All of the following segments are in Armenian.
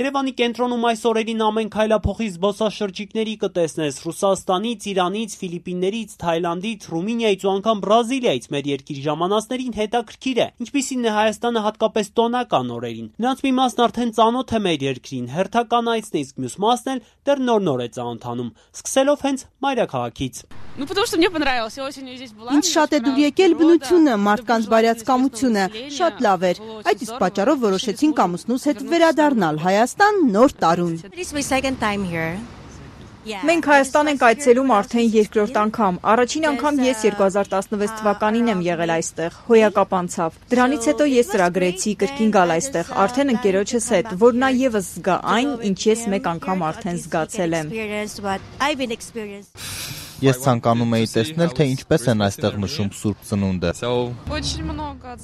Երևանի կենտրոնում այս օրերին ամեն քայլափոխի զբոսաշրջիկների կտեսնես Ռուսաստանից, Իրանից, Ֆիլիպիններից, Թայլանդից, Ռումինիայից ու անգամ Բրազիլիայից մեր երկիր ժամանածներին հետաքրքիր է, ինչպիսին է Հայաստանը հատկապես տոնական օրերին։ Նրանց մի մասն արդեն ծանոթ է մեր երկրին, հերթականայցն է, իսկ մյուս մասն էլ դեռ նոր է ծանոթանում, սկսելով հենց մայրաքաղաքից։ Ինձ շատ է դուր եկել բնությունը, մարդկանց բարյացակամությունը, շատ լավ էր։ Այդ իսկ պատճառով որոշեցինք ամուսնուս հետ վերադառնալ Հայաստան նոր տարուն։ Մենք Հայաստան ենք այցելում արդեն երկրորդ անգամ։ Առաջին անգամ ես 2016 թվականին եմ եղել այստեղ, հոյակապ անցավ։ Դրանից հետո ես ծրագրեցի կրկին գալ այստեղ, արդեն ընկերոջս հետ, որ նա ևս զգա այն, ինչ ես մեկ անգամ արդեն զգացել եմ։ Ես ցանկանում էի տեսնել, թե ինչպես են այստեղ նշում Սուրբ Ծնունդը։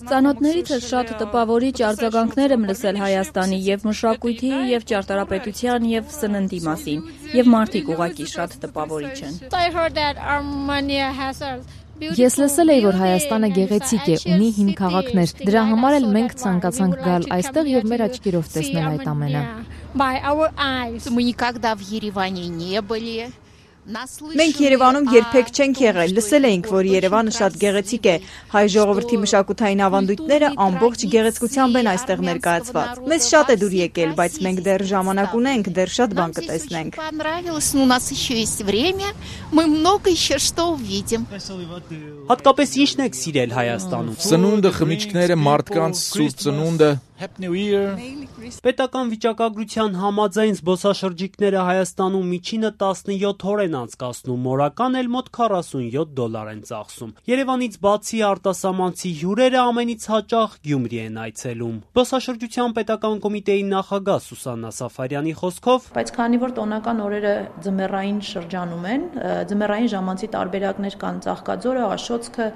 Ծանոթներիցս շատ տպավորիչ արձագանքներ եմ լսել Հայաստանի եւ մշակույթի, եւ ճարտարապետության, եւ սննդի մասին, եւ մարդիկ ուղղակի շատ տպավորիչ են։ Ես լսել էի, որ Հայաստանը գեղեցիկ է, ունի հին քաղաքներ։ Դրա համար էլ մենք ցանկացանք գալ այստեղ եւ մեր աչքերով տեսնել այդ ամենը։ Մենք Երևանում երբեք չենք եղել, լսել էինք, որ Երևանը շատ գեղեցիկ է, հայ ժողովրդի մշակութային ավանդույթները ամբողջ գեղեցկությամբ են այստեղ ներկայացված։ Մեզ շատ է դուր եկել, բայց մենք դեռ ժամանակ ունենք, դեռ շատ բան կտեսնենք։ Հատկապես ինչն եք սիրել Հայաստանում։ Ծնունդը, խմիչքները, մարդկանց Սուրբ Ծնունդը։ Պետական վիճակագրության համաձայն զբոսաշրջիկները Հայաստանում միջինը 17 օր են անցկացնում, օրական էլ մոտ $47 են ծախսում։ Երևանից բացի արտասահմանցի հյուրերը ամենից հաճախ Գյումրի են այցելում։ Զբոսաշրջության պետական կոմիտեի նախագահ Սուսաննա Սաֆարյանի խոսքով, բայց քանի որ տոնական օրերը ձմեռային շրջանում են, ձմեռային ժամանցի տարբերակներ կան Ծաղկաձորը, Աշոցքը,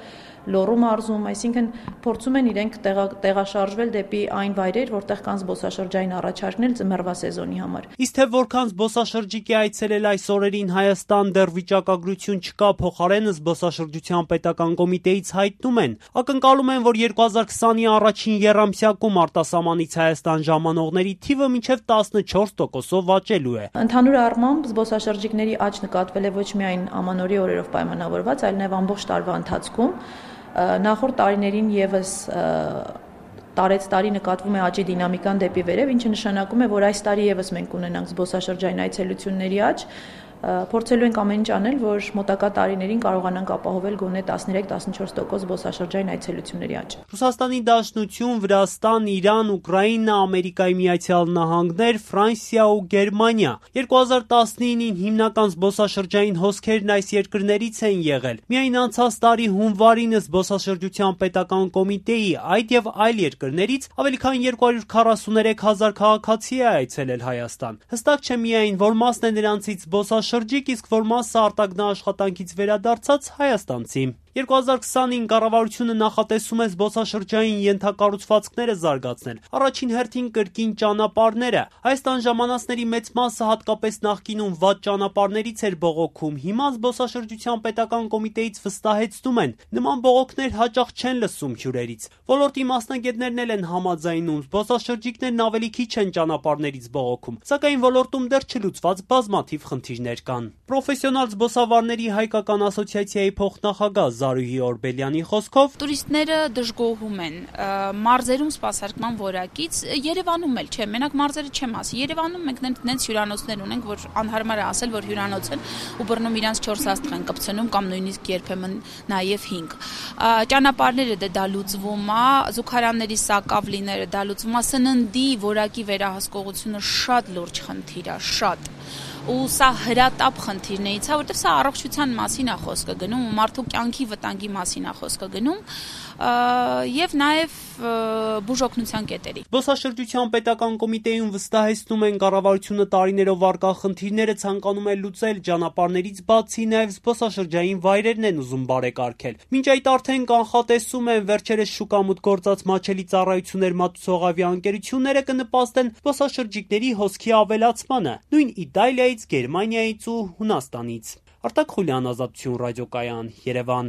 Լոռու մարզում, այսինքն փորձում են իրենք տեղաշարժվել դեպի այն վայրեր, որտեղ կան զբոսաշրջային առաջարկներ ձմեռվա սեզոնի համար։ Իսկ թե որքան զբոսաշրջիկ է այցելել այս օրերին Հայաստան, դեռ վիճակագրություն չկա, փոխարենը զբոսաշրջության պետական կոմիտեից հայտնում են, ակնկալում են, որ 2020-ի առաջին եռամսյակում արտասահմանից Հայաստան ժամանողների թիվը մինչև 14%-ով աճելու է։ Ընդհանուր առմամբ զբոսաշրջիկների աճ նկատվել է ոչ միայն ամանորի օրերով պայմանավորված, այլ նաև ամբողջ տարվա ընթացքում։ Նախորդ տարիներին եւս տարեց տարի նկատվում է աճի դինամիկան դեպի վերև, ինչը նշանակում է, որ այս տարի եւս մենք ունենանք զբոսաշրջային այցելությունների աճ, փորձելու ենք ամեն ինչ անել, որ մոտակա տարիներին կարողանանք ապահովել գոնե 13-14% զբոսաշրջային այցելությունների աճ։ Ռուսաստանի Դաշնություն, Վրաստան, Իրան, Ուկրաինա, Ամերիկայի Միացյալ Նահանգներ, Ֆրանսիա ու Գերմանիա 2019-ին հիմնական զբոսաշրջային հոսքերն այս երկրներից են եղել։ Միայն անցած տարի հունվարին զբոսաշրջության պետական կոմիտեի այդ եւ այլ երկրներից ավելի քան 243,000 քաղաքացի է այցելել Հայաստան։ Հստակ չէ միայն, որ մասն է նրանցից զբոսաշրջիկ, իսկ որ մասը արտագնաաշխատանքից վերադարձած հայաստանցի։ 2020-ին կառավարությունը նախատեսում է զբոսաշրջային ենթակառուցվածքները զարգացնել, առաջին հերթին կրկին ճանապարհները։ Հայաստան ժամանածների մեծ մասը հատկապես նախկինում վատ ճանապարհներից էր բողոքում, հիմա զբոսաշրջության պետական կոմիտեից վստահեցնում են, նման բողոքներ հաճախ չեն լսում հյուրերից։ Ոլորտի մասնագետներն էլ են համաձայնում, զբոսաշրջիկներն ավելի քիչ են ճանապարհներից բողոքում, սակայն ոլորտում դեռ չլուծված բազմաթիվ խնդիրներ կան։ Պրոֆեսիոնալ զբոսավարների հայկական ասոցիացիայի փոխնախագահ Զարուհի Օրբելյանի խոսքով, տուրիստները դժգոհում են մարզերում սպասարկման որակից, Երևանում էլ չէ, մենակ մարզերը չեմ ասի, Երևանում մենք նենց հյուրանոցներ ունենք, որ անհարմար է ասել, որ հյուրանոց են ու բռնում իրանց 4 աստղ են կպցնում կամ նույնիսկ երբեմն նաև 5։ Ճանապարհները դա լուծվում է, զուգարանների սակավլիները դա լուծվում է, սննդի որակի վերահսկողությունը շատ լուրջ խնդիր է, շատ։ Ու սա հրատապ խնդիրներից է, որտեղ սա առողջության մասին է խոսքը գնում, մարդու կյանքի վտանգի մասին է խոսքը գնում եւ նաեւ բուժօգնության կետերի։ Զբոսաշրջության պետական կոմիտեում վստահեցնում են կառավարությունը տարիներով արկա խնդիրները ցանկանում է լուծել, ճանապարհներից բացի նաեւ զբոսաշրջային վայրերն են ուզում բարեկարգել։ Մինչ այդ արդեն կանխատեսում են վերջերս շուկամուտք գործած մատչելի ծառայություններ մատուցող ավիաընկերությունները կնպաստեն զբոսաշրջիկների հոսքի ավելացմանը, նույն Իտալիայից, Գերմանիայից ու Հունաստանից։ Արտակ Խուլյան, Ազատություն ռադիոկայան, Երևան։